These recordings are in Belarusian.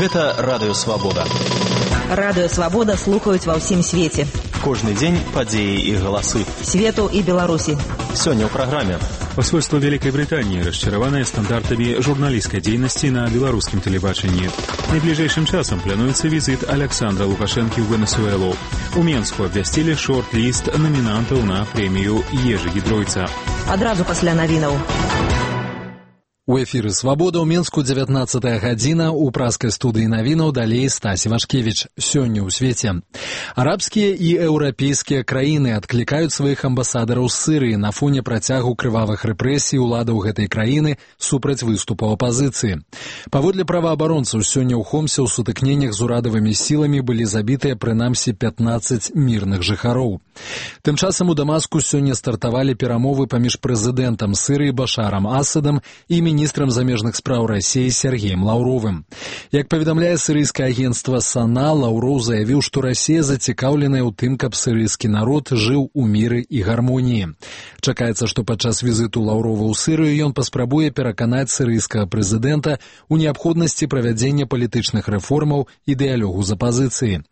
Гэта Радыё Свабода. Радыё Свабода слухаюць ва ўсім свеце. Кожны дзень падзеі і галасы. Свету і Беларусі. Сёння ў праграме. Посольство Великой Британии расчараванное стандартами журналистской деятельности на белорусском телебачении. Найближэйшым часам плануецца візит Александра Лукашэнкі ў Венесуэлу. У Менску абвясцілі шорт-ліст намінантаў на прэмію Ежы Гідройца. Адразу пасля навінаў. У эфіры «Свабода» ў Менску 19-я гадзіна, у праскай студыі навінаў далей Стась Вашкевіч. Сёння ў свеце. Арабскія і еўрапейскія краіны адклікаюць сваіх амбасадараў з Сырыі на фоне працягу крывавых рэпрэсій уладаў гэтай краіны супраць выступаў апазіцыі. Паводле праваабаронцаў, сёння ў Хомсе ў сутыкненнях з урадавымі сіламі былі забітыя прынамсі 15 мірных жыхароў. Тым часам у Дамаску сёння стартавалі перамовы паміж прэзідэнтам Сырыі Башарам Асадам і міністрам замежных спраў Расіі Сергеем Лаўровым. Як паведамляе сірыйскае агенцтва САНА, Лаўроў заявіў, што Расія зацікаўленая ў тым, каб сірыйскі народ жыў у міры і гармоніі. Чакаецца, што падчас візіту Лаўрова ў Сырыю ён паспрабуе пераканаць сірыйскага прэзідэнта ў неабходнасці правядзення палітычных рэформаў і дыялогу з апазіцыяй.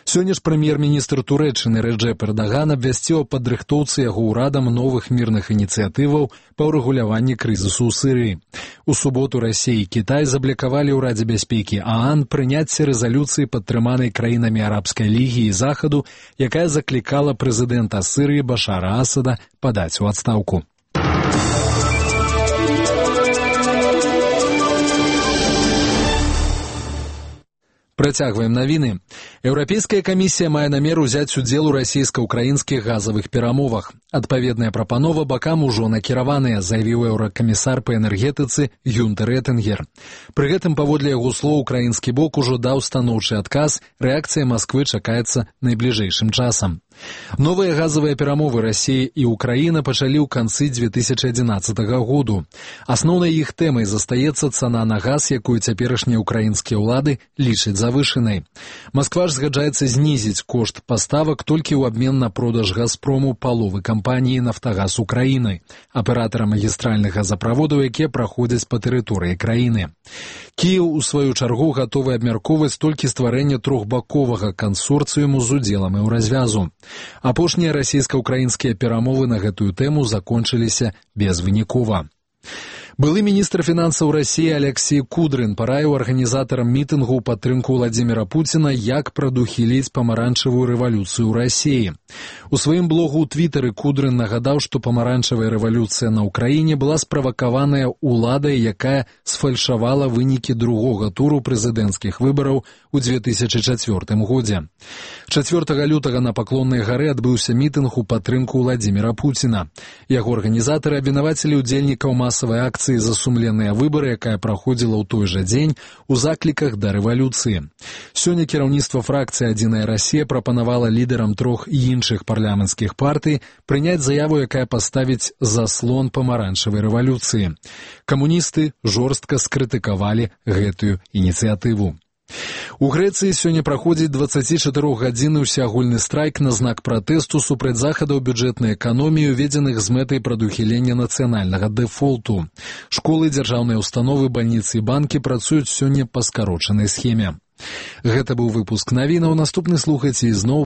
Сёння ж прэм'ер-міністр Турэччыны Рэджэп Эрдаган абвясціў аб падрыхтоўцы яго ўрадам новых мірных ініцыятываў па ўрэгуляванні крызісу ў Сырыі. У суботу Расія і Кітай заблокавалі ў Радзе бяспекі ААН прыняцце рэзалюцыі, падтрыманай краінамі Арабскай лігі і Захаду, якая заклікала прэзідэнта Сырыі Башара Асада падаць у адстаўку. Працягваем навіны. Еўрапейская камісія мае намер узяць удзел у расійска-ўкраінскіх газавых перамовах. Адпаведная прапанова бакам ужо накіраваная, заявіў еўракамісар па энергетыцы Гюнтер Этингер. Пры гэтым, паводле яго слоў, украінскі бок ужо даў станоўчы адказ, рэакцыя Масквы чакаецца найбліжэйшым часам. Новыя газавыя перамовы Расіі і Украіна пачалі ў канцы 2011 году. Асноўнай іх тэмай застаецца цана на газ, якую цяперашнія ўкраінскія ўлады лічаць завышанай. Масква ж згаджаецца знізіць кошт паставак толькі ў абмен на продаж «Газпрому» паловы кампаніі «Нафтагаз Украіны», аператара магістральных газаправодаў, якія праходзяць па тэрыторыі краіны. Кіеў, у сваю чаргу, гатовы абмяркоўваць толькі стварэнне трохбаковага кансорцыуму з удзелам еўразвязу. Апошнія расійска-ўкраінскія перамовы на гэтую тэму закончыліся безвынікова. Былы міністр фінансаў Расіі Алексей Кудрын параіў арганізатарам мітынгу ў падтрымку Владзіміра Пуціна, як прадухіліць памаранчавую рэвалюцыю ў Расіі. У сваім блогу ў Твітары Кудрын нагадаў, што памаранчавая рэвалюцыя на ўкраіне была справакаваная ўладай, якая сфальшавала вынікі другога туру прэзідэнцкіх выбараў у 2004 годзе. 4 лютага на Паклоннай гары адбыўся мітынг у падтрымку Владзіміра Пуціна. Яго арганізатары абвінавацілі ўдзельнікаў масавай акцыі за сумленныя выбары, якая праходзіла ў той жа дзень, у закліках да рэвалюцыі. Сёння кіраўніцтва фракцыі «Адзіная Расія» прапанавала лідарам трох іншых парламенцкіх партый прыняць заяву, якая паставіць заслон памаранчавай рэвалюцыі. Камуністы жорстка скрытыкавалі гэтую ініцыятыву. У Грэцыі сёння праходзіць 24-гадзінны ўсеагульны страйк на знак пратэсту супраць захадаў бюджэтнай эканоміі, уведзеных з мэтай прадухілення нацыянальнага дэфолту. Школы, дзяржаўныя установы, бальніцы і банкі працуюць сёння па скарочанай схеме. Гэта быў выпуск навінаў. Наступны слухайце ізноў